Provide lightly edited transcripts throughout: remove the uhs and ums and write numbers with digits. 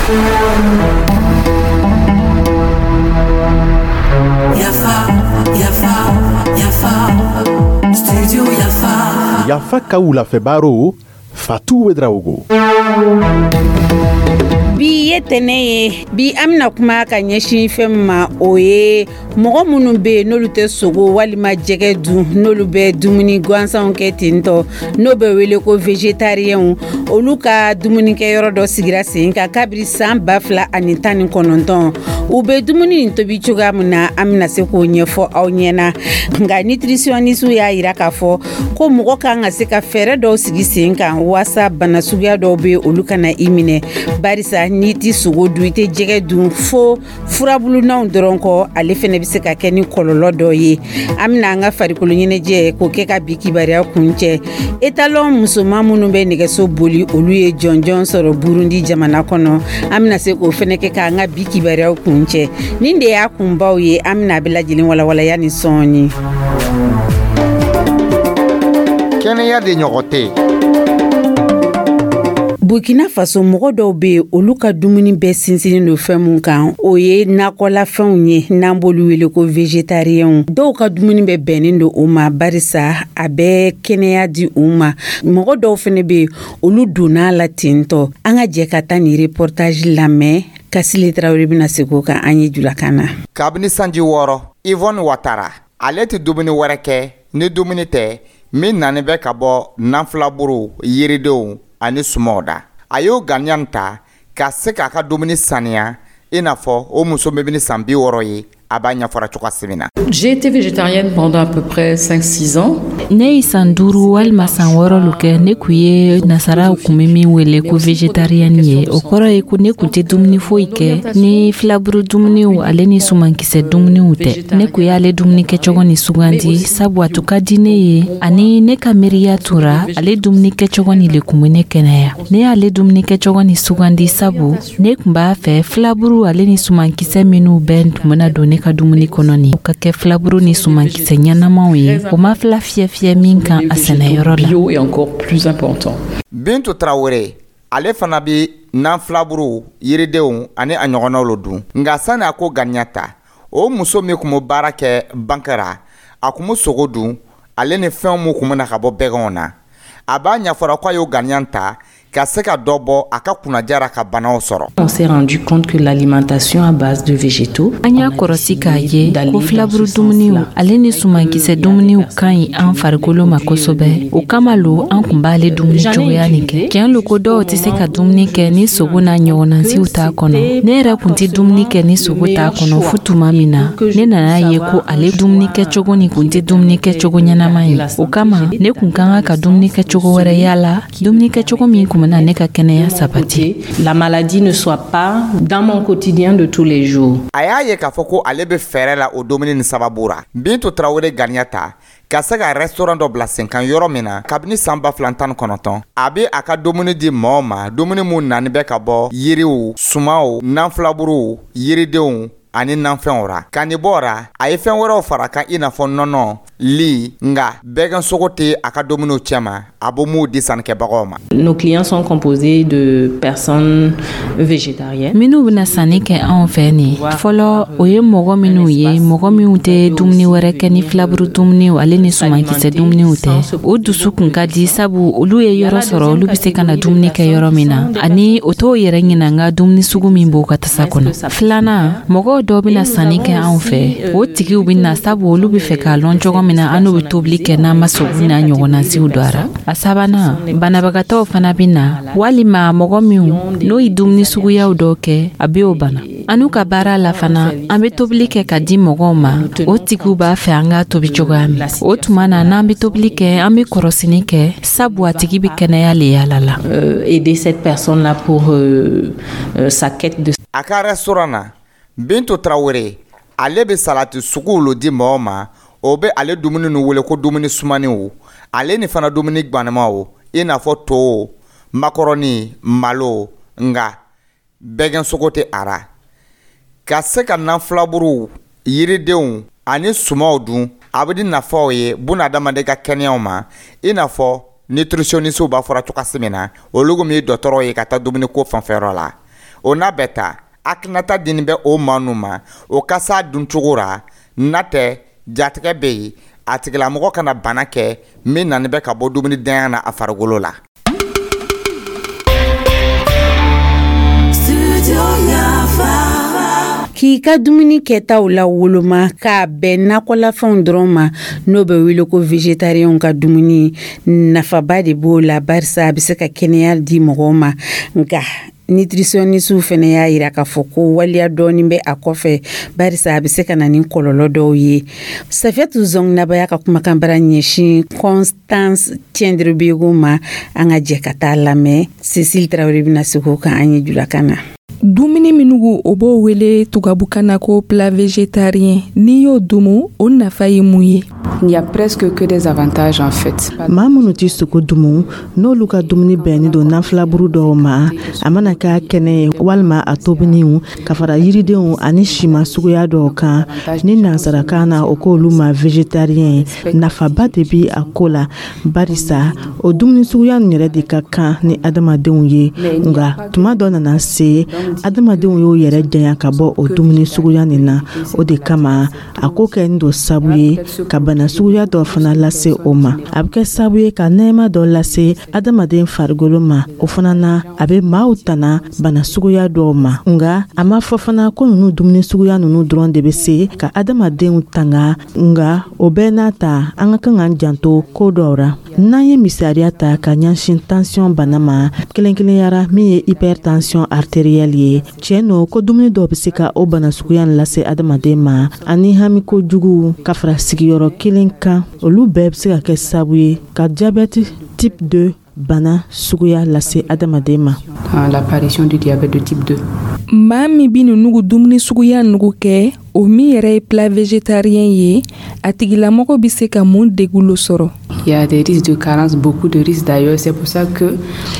Yafa, yafa, yafa, studio Yafa. Yafa ka wulafɛ baro, Fatu Ouédraogo. Bi ye tɛnɛ ye. Bi an bɛna kuma ka ɲɛsin fɛn min ma, o ye mɔgɔ minnu bɛ yen n'olu tɛ sogo walima jɛgɛ dun, n'olu bɛ dumuni gansanw kɛ ten tɔ, n'o bɛ wele ko végétarienw. Olu ka dumunikɛyɔrɔ dɔ sigira sen kan kabiri san 2019. U bɛ dumuni nin tobi cogoya min na, an bɛna se k'o ɲɛfɔ aw ɲɛna. Nka nutritionniste y'a yira k'a fɔ ko mɔgɔ kan ka se ka fɛɛrɛ dɔw sigi sen kan waasa bana suguya dɔw bɛ, olu kana i minɛ, barisa n'i ti sogo dun, i tɛ jɛgɛ dun, fo furabulunaw dɔrɔn kɔ, ale fɛnɛ bɛ se ka kɛ ni kɔlɔlɔ dɔ ye. An bɛna an ka farikolo ɲɛnajɛ k'o kɛ ka bi kibaruya kuncɛ. Étalon musoman minnu bɛ nɛgɛso boli, olu ye jɔnjɔn sɔrɔ Burundi jamana kɔnɔ. An bɛna se k'o fɛnɛ kɛ k'an ka bi kibaruyaw kuncɛ. Nin de y'a kunbaw ye. An bɛna a bɛɛ lajɛlen walawalaya ni sɔɔni. Kɛnɛya de ɲɔgɔn tɛ yen. Burkina Faso, mɔgɔ dɔw bɛ yen, olu ka dumuni bɛɛ sinsinnen don fɛn mun kan, o ye nakɔlafɛnw ye, n'an b'olu wele ko végétarienw. Dɔw ka dumuni bɛ bɛnnen don o ma, barisa a bɛ kɛnɛya di u ma. Mɔgɔ dɔw fɛnɛ bɛ yen, olu donna la ten tɔ. An ka jɛ ka taa nin reportage lamɛn. Kasile Tarawele bɛna segin o kan an ye julakan na. Kabini sanji 6, Yvonne Watara, ale tɛ dumuni wɛrɛ kɛ ni dumuni tɛ min nani bɛ ka bɔ nanfilaburu, yiridenw ani sumaw da. A y'o ganiya ta ka se k'a ka dumuni saniya, i n'a fɔ o muso min bɛ san 60 ye, a b'a ɲɛfɔra cogoya min na. J'ai été végétarienne pendant à peu près 5-6 ans. Ne ye san 5 walima san 6 lo kɛ. Ne kun ye nasaraw kun bɛ min wele ko végétarienne ye. O kɔrɔ ye ko ne kun tɛ dumuni foyi kɛ ni filaburu dumuniw ale ni sumankisɛ dumuniw tɛ. Ne kun y'ale dumuni kɛcogo ni sugandi, sabu a tun ka di ne ye, ani ne ka miiriya tora ale dumuni kɛcogo ni le kun bɛ ne kɛnɛya. Ne y'ale dumuni kɛcogo ni sugandi, sabu ne kun b'a fɛ filaburu ale ni sumankisɛ minnu bɛɛ tun bɛna don ne ka dumuni kɔnɔ nin, o ka kɛ filaburu ni sumankisɛ ɲɛnamaw ye, o ma fila fiyɛ fiyɛ min kan a sɛnɛyɔrɔ la. Bio est encore plus important. Bintu Tarawele, ale fana bɛ nanfilaburu, yiridenw ani a ɲɔgɔnnaw lo dun. Nka sani a ko ganiya ta, o muso min tun bɛ baara kɛ banque ra, a tun bɛ sogo dun ale ni fɛn min tun bɛ na ka bɔ bɛgɛnw na. A b'a ɲɛfɔra k'a y'o ganiya ta ka se ka dɔ bɔ a ka kunnaja ka banaw sɔrɔ. On s'est rendu compte que l'alimentation à base de végétaux An y'a kɔrɔsi k'a ye ko filaburu dumuniw ale ni sumankisɛ dumuniw ka ɲi an farikolo ma kosɛbɛ. O kama lo an kun b'ale dumuni cogoya nin kɛ. Tiɲɛ lo ko dɔw tɛ se ka dumuni kɛ ni sogo n'a ɲɔgɔnnasiw t'a kɔnɔ. Ne yɛrɛ kun tɛ dumuni kɛ ni sogo t'a kɔnɔ, fo tuma min na ne nana ye ko ale dumuni kɛcogo nin kun tɛ dumuni kɛcogo ɲɛnama ye. O kama ne kun ka kan ka dumuni kɛcogo wɛrɛ yala, dumuni kɛcogo min kun bɛna ne ka kɛnɛya sabati. La maladie ne soit pas dans mon quotidien de tous les jours. A y'a ye k'a fɔ ko ale bɛ fɛɛrɛ la o dumuni ni sababu ra. Bintu Tarawele ganiya ta ka se ka restaurant dɔ bila sen kan yɔrɔ min na, kabini san 2019, a bɛ a ka dumuni di mɔgɔw ma, dumuni mun nani bɛ ka bɔ yiriw, sumaw, nanfilaburuw, yiridenw ani nanfɛnw ra. Ka nin bɔ ra, a ye fɛn wɛrɛw fara kan, i n'a fɔ nɔnɔ, li. Nka bɛgɛn sogo tɛ a ka dumuniw cɛma, a bɛ m'u di sannikɛbagaw ma. Nos clients sont composés de personnes végétariennes. Minnu bɛna sanni kɛ anw fɛ nin fɔlɔ, o ye mɔgɔ minnu ye, mɔgɔ minnu tɛ dumuni wɛrɛ kɛ ni filaburu dumuniw ale ni sumankisɛ dumuniw tɛ. O dusu kun ka di, sabu olu ye yɔrɔ sɔrɔ, olu bɛ se ka na dumuni kɛ yɔrɔ min na, ani o t'o yɛrɛ ɲinanga dumuni sugu min b'o ka tasa kɔnɔ. Filanan, mɔgɔw dɔw bɛna sanni kɛ anw fɛ, o tigiw bɛ na sabu olu bɛ fɛ k'a lɔn cogo min na an n'u bɛ tobili kɛ n'an ma sogo n'a ɲɔgɔnnasiw don a ra. A sabanan, banabagatɔw fana bɛ na, walima mɔgɔ minnu n'o ye dumuni suguyaw dɔw kɛ, a bɛ o bana. An n'u ka baara la fana, an bɛ tobili kɛ ka di mɔgɔw ma. O tigiw b'a fɛ an k'a tobi cogoya min. O tuma na, n'an bɛ tobili kɛ, an bɛ kɔrɔsini kɛ, sabu a tigi bɛ kɛnɛya le yala la. Aider cette personne-là pour sa quête de A ka restaurant na, Bintu Tarawele, ale bɛ salati suguw lo di mɔgɔw ma. O bɛ ale dumuni nu wele ko dumuni sumaniw, ale ni fana dumuni gbanemaw, i n'a fɔ to, makɔrɔni, malo. Nka bɛgɛn sogo tɛ a ra. Ka se ka nanfilaburuw, yiridenw ani sumaw dun, a bɛ di nafaw ye bunadamaden ka kɛnɛyaw ma, i n'a fɔ nutritionniste b'a fɔra cogoya min na, olu min ye dɔgɔtɔrɔw ye ka taa dumuni ko fanfɛyɔrɔ la. O n'a bɛɛ ta, hakilinata dini bɛ o maa nu ma, o ka s'a duncogo ra, n'a tɛ jatigɛ bɛ yen, a tigilamɔgɔ kana bana kɛ min nani bɛ ka bɔ dumuni danya na a farikolo la. K'i ka dumuni kɛtaw la woloma k'a bɛn nakɔlafɛnw dɔrɔn ma, n'o bɛ wele ko végétarienw ka dumuni, nafaba de b'o la, barisa a bɛ se ka kɛnɛya di mɔgɔw ma. Nka nutritionniste fɛnɛ y'a yira k'a fɔ ko waleya dɔɔni bɛ a kɔfɛ, barisa a bɛ se ka na ni kɔlɔlɔ dɔw ye. Safiyatu Zɔngnabaya ka kumakan bara ɲɛsin Constance Tiendrebego ma, an ka jɛ ka taa lamɛn. Cécile Traoré bɛna segin o kan an ye julakan na. Dumuni minnu o b'o wele tubabukan na ko plat végétarien, n'i y'o dumu, o nafa ye mun ye? Il n'y a presque que des avantages en fait. Maa minnu tɛ sogo dumu, n'olu ka dumuni bɛnnen don nanfilaburu dɔw ma, a mana k'a kɛnɛ ye walima a tobiniw, ka fara yiridenw ani siman suguya dɔw kan, ni nansarakan na o k'olu ma végétarien, nafaba de bi a ko la, barisa o dumuni suguya nin yɛrɛ de ka kan ni adamadenw ye. Nka tuma dɔ nana se, adamadenw y'o yɛrɛ janya ka bɔ o dumuni suguya nin na. O de kama a ko kɛ don sabu ye ka bana suguya dɔ fana lase o ma. A bɛ kɛ sabu ye ka nɛɛma dɔ lase adamaden farikolo ma, o fana na a bɛ maaw tana bana suguya dɔw ma. Nka a ma fɔ fana ko ninnu dumuni suguya ninnu dɔrɔn de bɛ se ka adamadenw tanga, nka o bɛɛ n'a ta, an ka kan k'an janto ko dɔw ra. N'an ye misaliya ta ka ɲɛsin tension bana ma, kelen-kelenyara min ye hypertension artérielle ye, tiɲɛ no ko dumuni dɔw bɛ se ka o bana suguya lase adamaden ma, ani hami kojugu ka fara sigiyɔrɔ kelen kan, olu bɛɛ bɛ se ka kɛ sababu ye ka diabète type 2 bana suguya lase adamaden ma. L'apparition du diabète de type 2. Maa min bɛ ninnu dumuni suguya nugu kɛ, o min yɛrɛ ye plat végétarien ye, a tigilamɔgɔ bɛ se ka mun degun lo sɔrɔ? Il y a des risques de carence, beaucoup de risques d'ailleurs. C'est pour ça que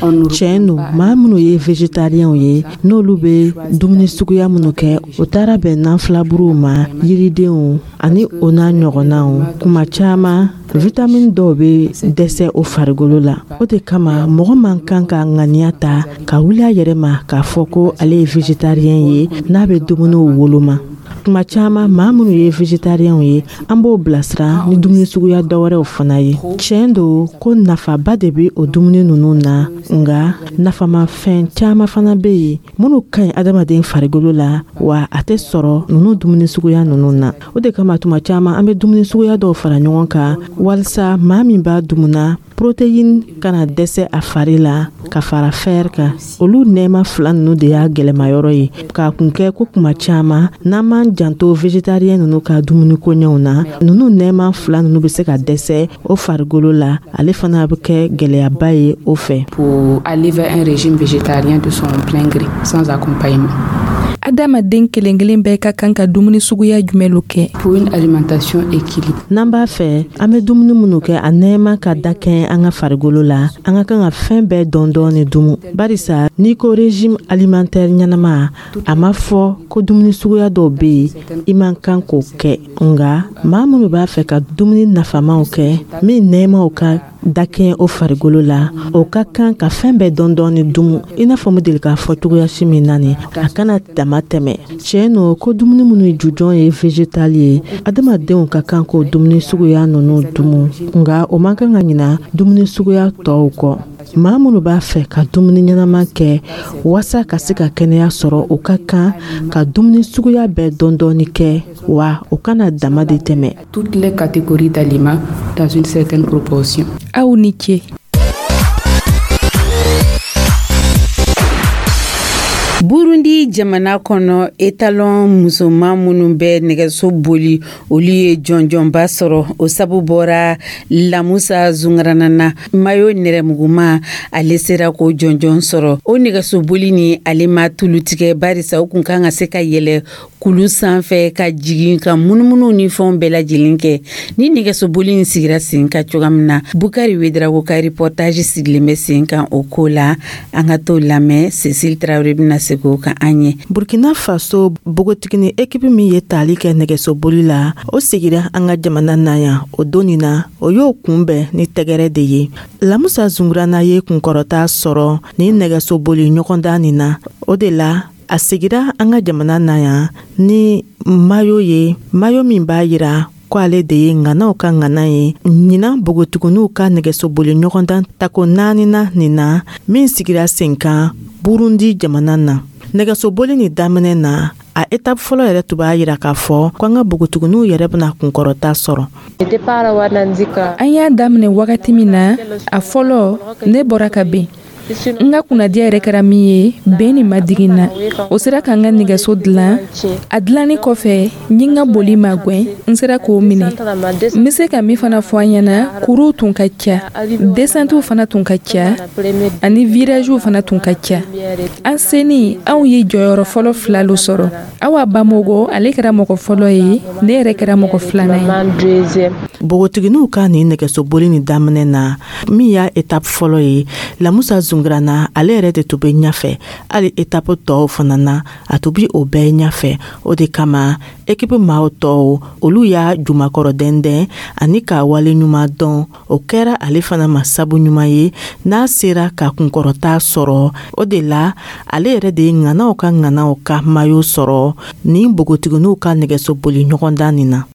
on nous... Tiɲɛ don, maa minnu ye végétarienw ye, n'olu bɛ dumuni suguya minnu kɛ, o taara bɛn nanfilaburuw ma, yiridenw ani o n'a ɲɔgɔnnaw. Kuma caman vitamine dɔw bɛ dɛsɛ o farikolo la. O de kama mɔgɔ man kan ka ŋaniya ta ka wuli a yɛrɛ ma k'a fɔ ko ale ye végétarien ye n'a bɛ dumuniw woloma. Tuma caman maa minnu ye végétarienw ye, an b'o bilasira ni dumuni suguya dɔwɛrɛw fana ye. Tiɲɛ don ko nafaba de bɛ o dumuni ninnu na, nka nafamafɛn caman fana bɛ yen minnu ka ɲi adamaden farikolo la, wa a tɛ sɔrɔ ninnu dumuni suguya ninnu na. O de kama tuma caman an bɛ dumuni suguya dɔw fara ɲɔgɔn kan walasa maa min b'a dumuna, protéine kana dɛsɛ a fari la ka fara fer kan. Olu nɛɛma fila ninnu de y'a gɛlɛmayɔrɔ ye, k'a kun kɛ ko kuma caman n'an m'an janto végétarien ninnu ka dumuni koɲɛw na, ninnu nɛɛma fila ninnu bɛ se ka dɛsɛ o farikolo la, ale fana bɛ kɛ gɛlɛyaba ye o fɛ. Pour aller vers un régime végétarien de son plein gré, sans accompagnement. Adamaden kelen kelen bɛɛ ka kan ka dumuni suguya jumɛn lo kɛ? Pour une alimentation équilibrée. N'an b'a fɛ an bɛ dumuni minnu kɛ, a nɛɛma ka da kɛɲɛ an ka farikolo la, an ka kan ka fɛn bɛɛ dɔn dɔɔni dumu, barisa n'i ko régime alimentaire ɲɛnama, a ma fɔ ko dumuni suguya dɔw bɛ yen i man kan k'o kɛ. Nka maa minnu b'a fɛ ka dumuni nafamaw kɛ min nɛɛmaw ka dakɛɲɛ o farikolo la, o ka kan ka fɛn bɛɛ dɔn dɔɔni dumu, i n'a fɔ n bɛ deli k'a fɔ cogoya si min na nin, a kana dama tɛmɛ. Tiɲɛ no ko dumuni minnu jujɔn ye végétal ye, adamadenw ka kan k'o dumuni suguya ninnu dumu, nka o man kan ka ɲina dumuni suguya tɔw kɔ. Maa minnu b'a fɛ ka dumuni ɲɛnama kɛ walasa ka se ka kɛnɛya sɔrɔ, o ka kan ka dumuni suguya bɛɛ dɔn dɔɔni kɛ, wa o kana dama de tɛmɛ. Toutes les catégories d'aliments dans une certaine proportion. Aw ni ce. Burundi jamana kɔnɔ, etalon musoman minnu bɛ nɛgɛso boli, olu ye jɔnjɔnba sɔrɔ. O sabu bɔra Lamusa Zungarana na, mayo nɛrɛmuguma, ale sera k'o jɔnjɔn sɔrɔ. O nɛgɛso boli ni ale ma tulu tigɛ, barisa o kun kan ka se ka yɛlɛ kulu sanfɛ ka jigin ka munumunu ni fɛnw bɛɛ lajɛlen kɛ. Ni nɛgɛso boli in sigira sen kan cogoya min na, Bukari Wedrago ka reportage sigilen bɛ sen kan o ko la. An ka t'o lamɛn. Cécile Traoré bɛna segin o kan an an ye. Burkina Faso bogotigini ekipi min ye taali kɛ nɛgɛsoboli la, o segira an ka jamana na yan o don nin na, o y'o kunbɛn ni tɛgɛrɛ de ye. Lamusa Zungurana ye kunkɔrɔta sɔrɔ ni nɛgɛsoboli ɲɔgɔndan nin na. O de la a segira an ka jamana na yan ni mayo ye, mayo min b'a yira ko ale de ye ŋanaw ka ŋana ye ɲinan bogotiginiw ka nɛgɛsoboli ɲɔgɔndan tako naaninan nin na, min sigira sen kan Burundi jamana na. Nɛgɛsoboli nin daminɛ na, a etape fɔlɔ yɛrɛ tun b'a yira k'a fɔ ko an ka bogotiginiw yɛrɛ bɛna kunkɔrɔta sɔrɔ. An y'a daminɛ wagati min na, a fɔlɔ, ne bɔra ka ben. N ka kunnadiya yɛrɛ kɛra min ye, ben nin ma digi n na. O sera ka n ka nɛgɛso dilan. A dilanni kɔfɛ, n ye n ka boli magɛn, n sera k'o minɛ. N bɛ se ka min fana fɔ an ɲɛna, kuruw tun ka ca, descentes fana tun ka ca, ani virages fana tun ka ca. An senin, anw ye jɔyɔrɔ fɔlɔ fila lo sɔrɔ. Awa Bamogo, ale kɛra mɔgɔ fɔlɔ ye, ne yɛrɛ kɛra mɔgɔ filanan ye. Bogotiginiw ka nin nɛgɛsoboli nin daminɛ na, min y'a etape fɔlɔ ye, Lamusa Zungurana ale yɛrɛ de tun bɛ ɲɛfɛ. Hali etape tɔw fana na, a tun bɛ o bɛɛ ɲɛfɛ. O de kama ekipe maaw tɔw, olu y'a jumakɔrɔ dɛndɛn ani k'a wale ɲuman dɔn. O kɛra ale fana ma sabu ɲuman ye n'a sera ka kunkɔrɔta sɔrɔ. O de la ale yɛrɛ de ye ŋanaw ka ŋanaw ka mayo sɔrɔ nin bogotiginiw ka nɛgɛsoboli ɲɔgɔndan nin na.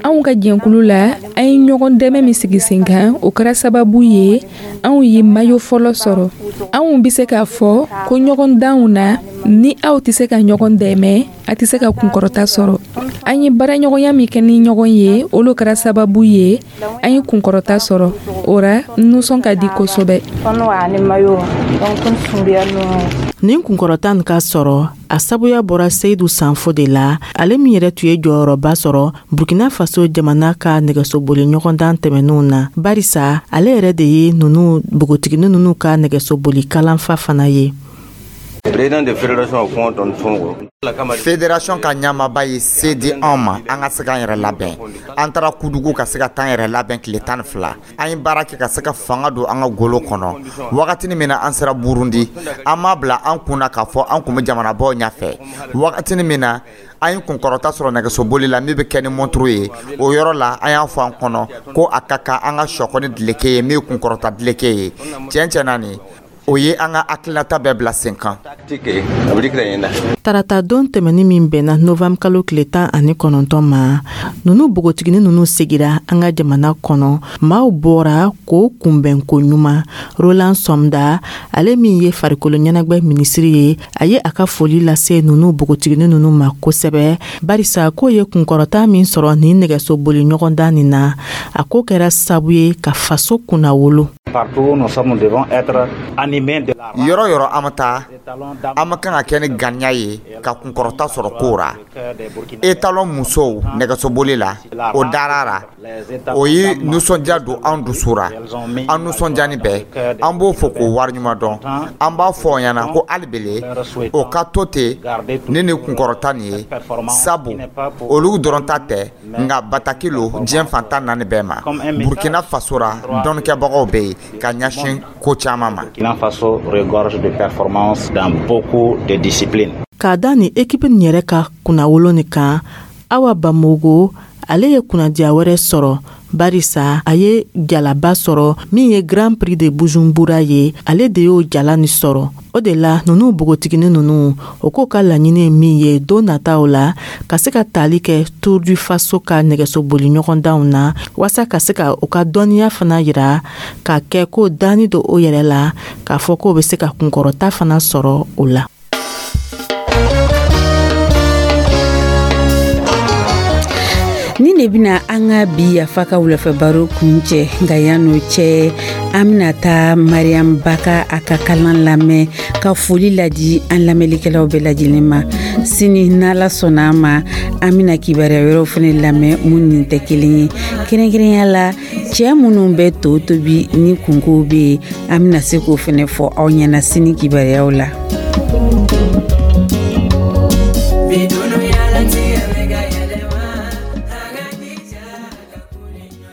Anw ka jɛnkulu la, an ye ɲɔgɔn dɛmɛ min sigi sen kan, o kɛra sababu ye anw ye mayo fɔlɔ sɔrɔ. Anw bɛ se k'a fɔ ko ɲɔgɔndanw na, ni aw tɛ se ka ɲɔgɔn dɛmɛ, a tɛ se ka kunkɔrɔta sɔrɔ. An ye baaraɲɔgɔnya min kɛ ni ɲɔgɔn ye, olu kɛra sababu ye an ye kunkɔrɔta sɔrɔ. O ra, n nisɔn ka di kosɛbɛ. Nin kunkɔrɔta nin ka sɔrɔ, a sabuya bɔra Seyidu Sanfo de la, ale min yɛrɛ tun ye jɔyɔrɔba sɔrɔ Burkina Faso jamana ka nɛgɛsoboli ɲɔgɔndan tɛmɛnenw na, barisa ale yɛrɛ de ye nunu bogotigini ninnu ka nɛgɛsoboli kalanfa fana ye. Fédération ka ɲɛmaaba ye se di anw ma an ka se k'an yɛrɛ labɛn. An taara Kudugu ka se ka taa an yɛrɛ labɛn tile 12. An ye baara kɛ ka se ka fanga don an ka golo kɔnɔ. Wagatini min na an sera Burundi, an m'a bila an kun na k'a fɔ an kun bɛ jamanabaw ɲɛfɛ. Wagatini min na an ye kunkɔrɔta sɔrɔ nɛgɛsoboli la min bɛ kɛ ni montre ye, o yɔrɔ la an y'a fɔ an kɔnɔ ko a ka kan an ka sɔkɔ ni dileke ye min ye kunkɔrɔta dileke ye. Tiɲɛ tiɲɛ na nin o ye an ka hakilinata bɛɛ bila sen kan. Tarata don tɛmɛni min bɛnna novembre kalo tile 19 ma, nunu bogotigini ninnu segira an ka jamana kɔnɔ. Maaw bɔra k'o kunbɛnko ɲuman. Roland Somda, ale min ye farikolo ɲɛnagwɛ minisiri ye, a ye a ka foli lase nunu bogotigini ninnu ma kosɛbɛ, barisa k'o ye kunkɔrɔta min sɔrɔ nin nɛgɛsoboli ɲɔgɔndan nin na, a ko kɛra sabu ye ka faso kunnawolo. Yɔrɔ yɔrɔ an bɛ taa, an bɛ kan ka kɛ ni ganiya ye ka kunkɔrɔta sɔrɔ ko ra. Étalon musow nɛgɛsoboli la, o dara ra, o ye nisɔndiya don an dusu ra. An nisɔndiyani bɛɛ, an b'o fɔ k'o wariɲuman dɔn. An b'a fɔ o ɲɛna ko hali bele o ka to ten ni nin kunkɔrɔta nin ye, sabu olu dɔrɔn ta tɛ, nka bataki lo diɲɛ fantan naani bɛɛ ma. Burkina Faso ra, dɔnnikɛbagaw bɛ yen ka ɲɛsin ko caman ma. Faso regorge de performances dans beaucoup de disciplines. K'a da ni ekipi nin yɛrɛ ka kunnawolo nin kan, Awa Bamogo ale ye kunnadiya wɛrɛ sɔrɔ, barisa a ye jalaba sɔrɔ min ye Grand Prix de Bujumbura ye. Ale de y'o jala ni sɔrɔ. O de la nunu bogotigini ninnu, o k'o ka laɲini ye min ye don nataw la, ka se ka tali kɛ Tour du Faso ka nɛgɛsoboli ɲɔgɔndanw na, waasa ka se ka u ka dɔnniya fana yira, k'a kɛ ko danni don o yɛrɛ la, k'a fɔ k'o bɛ se ka kunkɔrɔta fana sɔrɔ o la. Ni de bɛna an ka bi Yafa ka wulafɛ baro kuncɛ. Nka yan'o cɛ, an bɛna taa Mariam Baka a ka kalan lamɛn ka foli ladi an lamɛnlikɛlaw bɛɛ lajɛlen ma. Sini n'Ala sɔnna a ma, an bɛna kibaruya wɛrɛw fana lamɛn mun nin tɛ kelen ye. Kɛrɛnkɛrɛnya la, cɛɛ minnu bɛ to tobi ni kunkow bɛ yen, an bɛna se k'o fana fɔ aw ɲɛna sini kibaruyaw la.